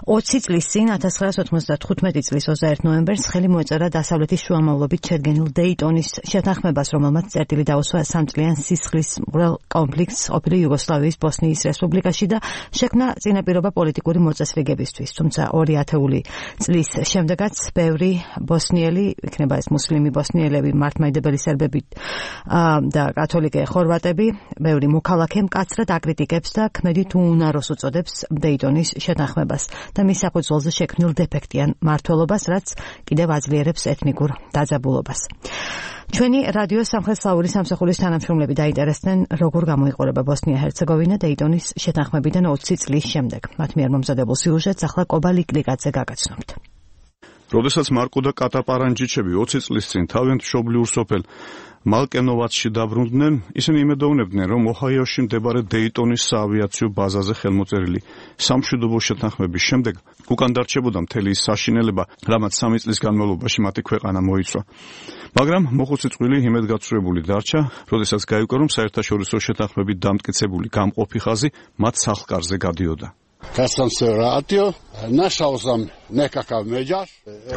20 წლის წინ 1995 წლის 21 ნოემბერს ხელი მოეწერა დასავლეთის შუამავლობით შედგენილ დეიტონის შეთანხმებას, რომელმაც წერტილი დაუსვა სამწლიან სისხლისმღვრელ კონფლიქტს ყოფილი იუგოსლავიის ბოსნიის რესპუბლიკაში და შექმნა წინაპირობა პოლიტიკური მოწესრიგებისთვის. თუმცა 2000 წლის შემდეგაც ბევრი ბოსნიელი, იქნება ეს მუსლიმი ბოსნიელები, მართლმადიდებელი სერბები და კათოლიკე ხორვატები, ბევრი მოქალაქე მკაცრად აკრიტიკებს და ქმედით უუნაროს უწოდებს დეიტონის შეთანხმებას და მის საფუძველზე შექმნილ დეფექტიან მმართველობას, რაც კიდევ აძლიერებს ეთნიკურ დაძაბულობას. ჩვენი რადიო სამხრეთ-სლავური სამსახურის თანამშრომლები დაინტერესდნენ, როგორ გამოიყურება ბოსნია-ჰერცეგოვინა დეიტონის შეთანხმებიდან 20 წლის შემდეგ. მათ მიერ მომზადებულ სიუჟეტს ახლა კობა ლიკლიკაძე გაგაცნობთ. როდესაც მარკო და კატა პარანჯიჩები 20 წლის წინ თავიანთ მშობლიურ სოფელ მალკენოვაცში დაბრუნდნენ, ისინი იმედოვნებდნენ, რომ ოჰაიოში მდებარე დეიტონის საავიაციო ბაზაზე ხელმოწერილი სამშვიდობო შეთანხმების შემდეგ უკან დარჩებოდა მთელი ის საშინელება, რამაც 3 წლის განმავლობაში მათი ქვეყანა მოიცვა. მაგრამ მოხუცი წყვილი იმედგაცრუებული დარჩა, როდესაც გაიგო, რომ საერთაშორისო შეთანხმებით დამტკიცებული გამყოფი ხაზი მათ სახლკარზე გადიოდა.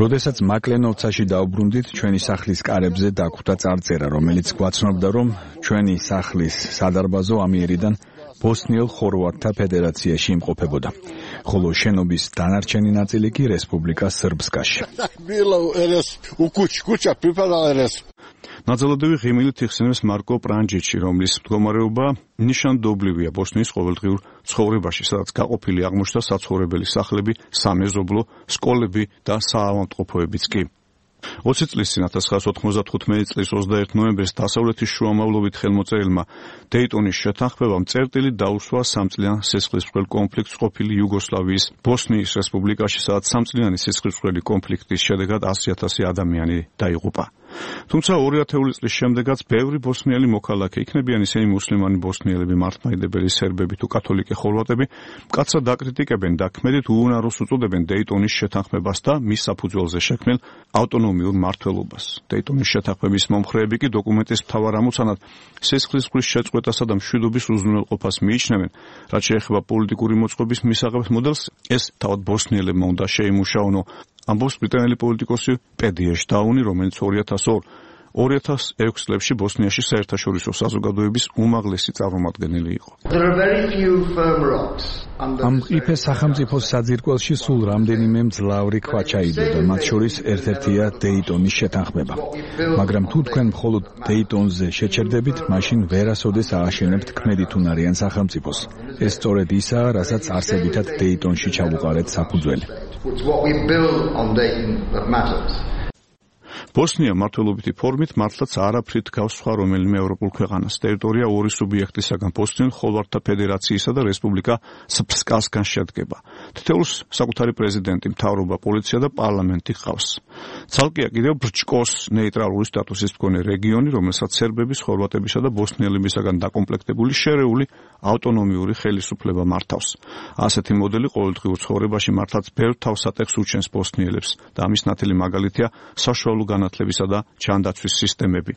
როდესაც მაკლენოვცაში დაუბრუნდით, ჩვენი სახლის კარებზე დაგვხვდა წარწერა, რომელიც გვაცნობდა, რომ ჩვენი სახლის სადარბაზო ამიერიდან ბოსნიელ ხორვატთა ფედერაციაში იმყოფებოდა, ხოლო შენობის დანარჩენი ნაწილი კი რესპუბლიკა სრბსკაში. ნაძალადევი ღიმილით იხსენებს მარკო პრანჯიჩი, რომლის მდგომარეობა ნიშანდობლივია ბოსნიის ყოველდღიურ ცხოვრებაში, სადაც გაყოფილი აღმოჩნდა საცხოვრებელი სახლები, სამეზობლო, სკოლები და საავადმყოფოებიც კი. 20 წლის წინ 1995 წლის 21 ნოემბერს დასავლეთის შუამავლობით ხელმოწერილმა დეიტონის შეთანხმებამ წერტილი დაუსვა სამწლიან სისხლისმღვრელ კონფლიქტს ყოფილი იუგოსლავიის ბოსნიის რესპუბლიკაში, სადაც სამწლიანი სისხლისმღვრელი კონფლიქტის შედეგად 100,000 ადამიანი დაიღუპა. თუმცა 2000 წლის შემდეგაც ბევრი ბოსნიელი მოქალაქე, იქნებიან ისინი მუსლიმანი ბოსნიელები, მართლმადიდებელი სერბები თუ კათოლიკე ხორვატები, მკაცრად აკრიტიკებენ და ქმედით უუნაროს უწოდებენ დეიტონის შეთანხმებას და მის საფუძველზე შექმნილ ავტონომიურ მმართველობას. დეიტონის შეთანხმების მომხრეები კი დოკუმენტის მთავარ ამოცანად სისხლისმღვრის შეწყვეტასა და მშვიდობის უზრუნველყოფას მიიჩნევენ, რაც შეეხება პოლიტიკური მოწყობის მისაღებად მოდელს, ეს თავად ბოსნიელებმა უნდა შეიმუშაონო. ამბობს ბრიტანელი პოლიტიკოსი პედი ეშდაუნი, რომელიც 2006 წლებში ბოსნიაში საერთაშორისო საზოგადოების უმაღლესი წარმომადგენელი იყო. ამ ყიფე სახელმწიფოს საძირკველში სულ რამდენიმე მძლავრი ქვა ჩაიდოდა, მათ შორის ერთ-ერთია დეიტონის შეთანხმება. მაგრამ თუ თქვენ მხოლოდ დეიტონზე შეჩერდებით, მაშინ ვერასოდეს ააშენებთ ქმედითუნარიან სახელმწიფოს. ეს სწორედ ისაა, რასაც არსებითად დეიტონში ჩავუყარეთ საფუძველი. ბოსნია მმართველობითი ფორმით მართლაც არაფრით გავს სხვა რომელიმე ევროპულ ქვეყანას. ტერიტორია ორი სუბიექტისაგან, ბოსნიელ ხორვატთა ფედერაციისა და რესპუბლიკა სრბსკასგან შედგება. თითოეულს საკუთარი პრეზიდენტი, მთავრობა, პოლიცია და პარლამენტი ჰყავს. ცალკეა კიდევ ბრჩკოს ნეიტრალური სტატუსის მქონე რეგიონი, რომელსაც სერბების, ხორვატებისა და ბოსნიელებისაგან დაკომპლექტებული შერეული ავტონომიური ხელისუფლება მართავს. ასეთი მოდელი ყოველდღიურ ცხოვრებაში მართლაც ბევრ თავსატეხს უჩენს ბოსნიელებს და ამის ნათელი მაგალითია საშუალო განათლებისა და ჩანდაცვის სისტემები.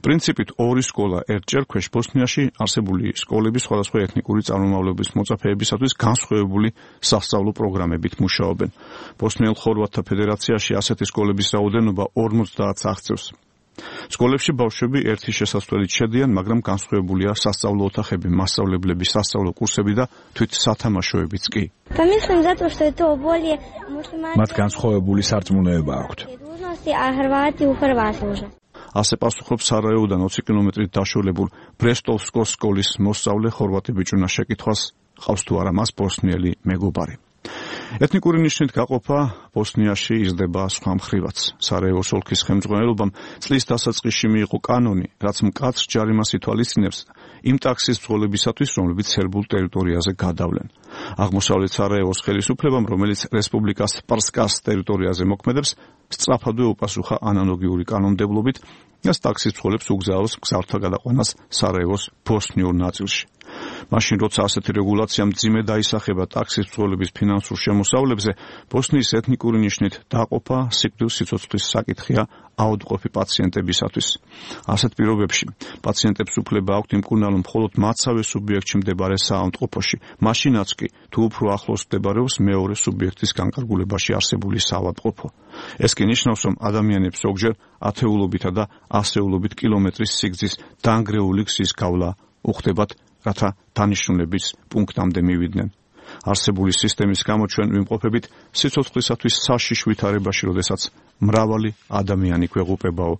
პრინციპით ორი სკოლა ერთ ჭერქვეშ ბოსნიაში არსებული სკოლების სხვადასხვა ეთნიკური წარმომავლობის მოწაფეებისათვის განსხვავებული სასწავლო პროგრამებით მუშაობენ. ბოსნიელ ხორვატთა ფედერაციაში ასეთი სკოლების რაოდენობა 50-ს აღწევს. სკოლებში ბავშვები ერთი შესასვლელით შედიან, მაგრამ განსხვავებულია სასწავლო ოთახები, მასწავლებლები, სასწავლო კურსები და თვით სათამაშოებიც კი. მათ განსხვავებული სარწმუნოება აქვთ. ასე პასუხობს სარაევოდან 20 კილომეტრით დაშორებულ ბრესტოვსკოს სკოლის მოსწავლე ხორვატი ბიჭუნა შეკითხვას, ყავს თუ არა მას ბოსნიელი მეგობარი. ეთნიკური ნიშნით გაყოფა ბოსნიაში იზრდება სხვა მხრივაც. სარაევოს ოლქის ხელმძღვანელობამ წლის დასაწყისში მიიღო კანონი, რაც მკაცრ ჯარიმას ითვალისწინებს იმ ტაქსის ბრძოლებისათვის, რომლებიც სერბულ ტერიტორიაზე გადავლენ. აღმოსავლეთ სარაევოს ხელისუფლებამ, რომელიც რესპუბლიკას სპარსკას ტერიტორიაზე მოქმედებს, სწრაფადვე უპასუხა ანალოგიური კანონმდებლობით და ტაქსის ბრძოლებს უგზავნოს მგზავრთა გადაყვანას სარაევოს ბოსნიურ ნაწილში. მაშინ როცა ასეთი რეგულაცია მძიმე დაისახება ტაქსის მძღოლების ფინანსურ შემოსავლებზე, ბოსნიის ეთნიკური ნიშნით დაყოფა სიკვდილ-სიცოცხლის საკითხია აუდყოფი პაციენტებისათვის. ასეთ პირობებში პაციენტებს უფლება აქვთ იმკურნალონ მხოლოდ მათსავე სუბიექტში მდებარე საავადმყოფოში, მაშინაც კი თუ უფრო ახლოს მდებარეობს მეორე სუბიექტის განკარგულებაში არსებული საავადმყოფო. ეს კი ნიშნავს, რომ ადამიანებს ზოგჯერ ათეულობითა და ასეულობით კილომეტრის სიგრძის დანგრეული გზის გავლა უხდებათ, რათა დანიშნულების პუნქტამდე მივიდნენ. არსებული სისტემის გამო ჩვენ ვიმყოფებით სიცოცხლისათვის საშიშ ვითარებაში, როდესაც მრავალი ადამიანი გვეღუპებაო,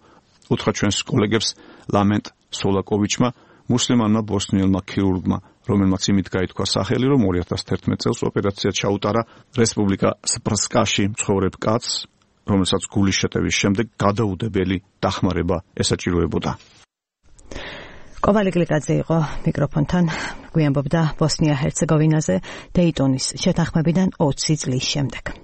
უთხრა ჩვენს კოლეგებს ლამენტ სოლაკოვიჩმა, მუსლიმანმა ბოსნიელმა ქირურგმა, რომელმაც იმით გაითქვა სახელი, რომ 2011 წელს ოპერაცია ჩაუტარა რესპუბლიკა სპრსკაში მცხოვრებ კაცს, რომელსაც გულის შეტევის შემდეგ გადაუდებელი დახმარება ესაჭიროებოდა. კოვალი გლიკაძე იყო მიკროფონთან, გვიამბობდა ბოსნია-ჰერცეგოვინაზე დეიტონის შეთანხმებიდან 20 წლის შემდეგ.